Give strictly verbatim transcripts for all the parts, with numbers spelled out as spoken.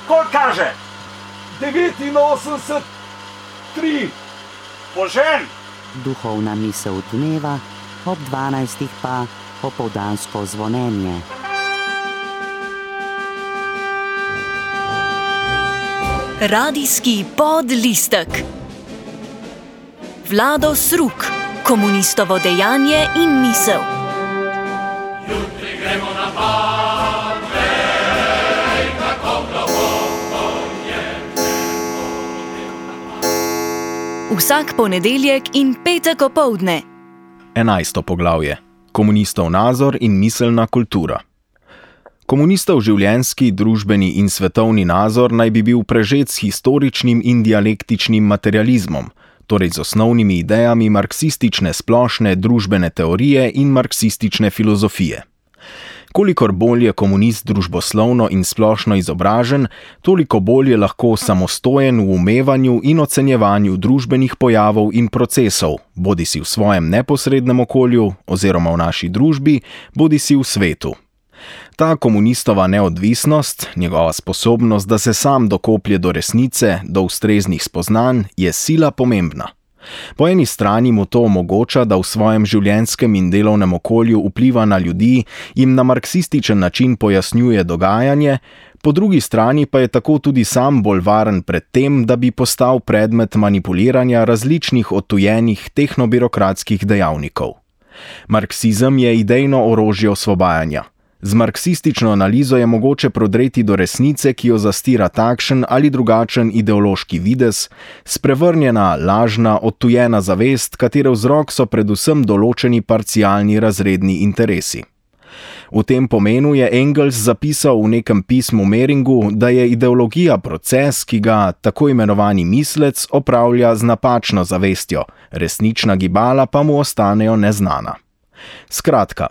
Koliko kaže? devetinosemdeset, tri. Požen! Duhovna misel dneva, ob dvanajstih pa popoldansko zvonjenje. Radijski podlistek. Vlado Sruk, komunistovo dejanje in misel. Jutri gremo na pade, kako globoko je nebo. Vsak ponedeljek in petek opoldne. Enajsto poglavje. Komunistov nazor in miselna kultura. Komunistov življenjski, družbeni in svetovni nazor naj bi bil prežet s historičnim in dialektičnim materializmom, torej z osnovnimi idejami marksistične splošne družbene teorije in marksistične filozofije. Kolikor bolj je komunist družboslovno in splošno izobražen, toliko bolj je lahko samostojen v umevanju in ocenjevanju družbenih pojavov in procesov, bodisi v svojem neposrednem okolju oziroma v naši družbi, bodisi v svetu. Ta komunistova neodvisnost, njegova sposobnost, da se sam dokoplje do resnice, do ustreznih spoznanj, je sila pomembna. Po eni strani mu to omogoča, da v svojem življenjskem in delovnem okolju vpliva na ljudi, jim na marksističen način pojasnjuje dogajanje, po drugi strani pa je tako tudi sam bolj varen pred tem, da bi postal predmet manipuliranja različnih odtujenih tehnobirokratskih dejavnikov. Marksizem je idejno orožje osvobajanja. Z marksistično analizo je mogoče prodreti do resnice, ki jo zastira takšen ali drugačen ideološki videz, sprevrnjena, lažna, odtujena zavest, katere vzrok so predvsem določeni parcialni razredni interesi. V tem pomenu je Engels zapisal v nekem pismu Mehringu, da je ideologija proces, ki ga tako imenovani mislec opravlja z napačno zavestjo, resnična gibala pa mu ostanejo neznana. Skratka,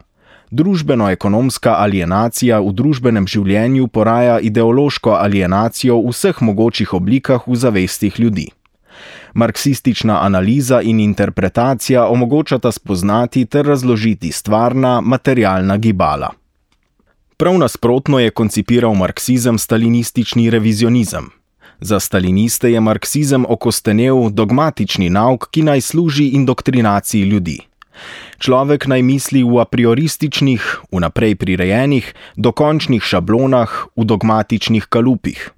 družbeno-ekonomska alienacija v družbenem življenju poraja ideološko alienacijo v vseh mogočih oblikah v zavestih ljudi. Marksistična analiza in interpretacija omogočata spoznati ter razložiti stvarna, materialna gibala. Prav nasprotno je koncipiral marksizem stalinistični revizionizem. Za staliniste je marksizem okostenel dogmatični nauk, ki naj služi indoktrinaciji ljudi. Človek naj misli v apriorističnih, vnaprej prirejenih, dokončnih šablonah, v dogmatičnih kalupih.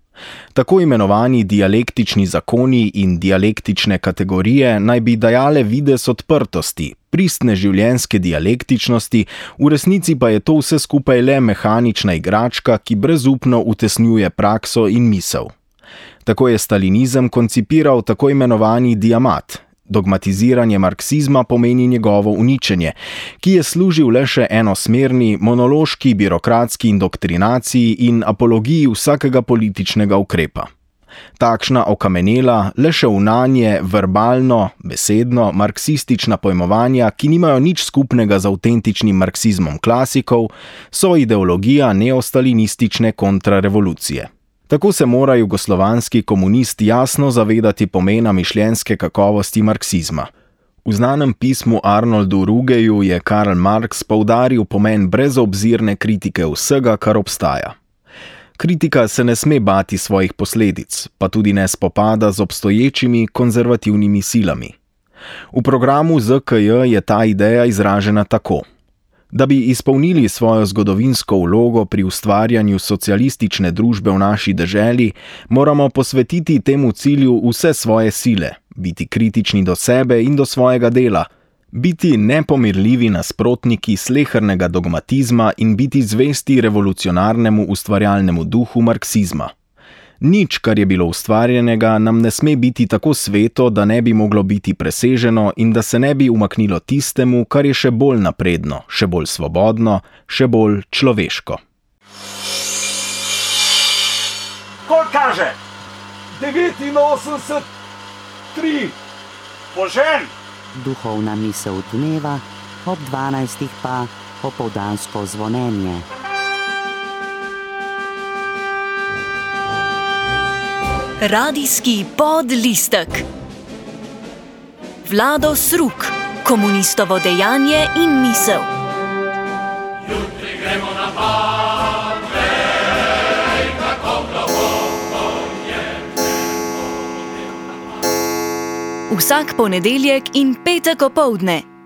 Tako imenovani dialektični zakoni in dialektične kategorije naj bi dajale videz odprtosti, pristne življenjske dialektičnosti, v resnici pa je to vse skupaj le mehanična igračka, ki brezupno utesnjuje prakso in misel. Tako je stalinizem koncipiral tako imenovani diamat. Dogmatiziranje marksizma pomeni njegovo uničenje, ki je služil le še enosmerni, monološki, birokratski indoktrinaciji in apologiji vsakega političnega ukrepa. Takšna okamenela, le še vnanje, verbalno, besedno, marksistična pojmovanja, ki nimajo nič skupnega z avtentičnim marksizmom klasikov, so ideologija neostalinistične kontrarevolucije. Tako se mora jugoslovanski komunist jasno zavedati pomena mišljenjske kakovosti marksizma. V znanem pismu Arnoldu Rugeju je Karl Marx poudaril pomen brezobzirne kritike vsega, kar obstaja. Kritika se ne sme bati svojih posledic, pa tudi ne spopada z obstoječimi konzervativnimi silami. V programu Z K J je ta ideja izražena tako. Da bi izpolnili svojo zgodovinsko vlogo pri ustvarjanju socialistične družbe v naši deželi, moramo posvetiti temu cilju vse svoje sile, biti kritični do sebe in do svojega dela, biti nepomirljivi nasprotniki slehernega dogmatizma in biti zvesti revolucionarnemu ustvarjalnemu duhu marksizma. Nič, kar je bilo ustvarjenega, nam ne sme biti tako sveto, da ne bi moglo biti preseženo in da se ne bi umaknilo tistemu, kar je še bolj napredno, še bolj svobodno, še bolj človeško. Koliko kaže? devetinosemdeset, tri. Požen! Duhovna misel dneva, ob dvanajstih pa popoldansko zvonjenje. Radijski podlistek. Vlado Sruk, komunistovo dejanje in misel. Jutri gremo na pade, kako globoko Vsak ponedeljek in petek opoldne.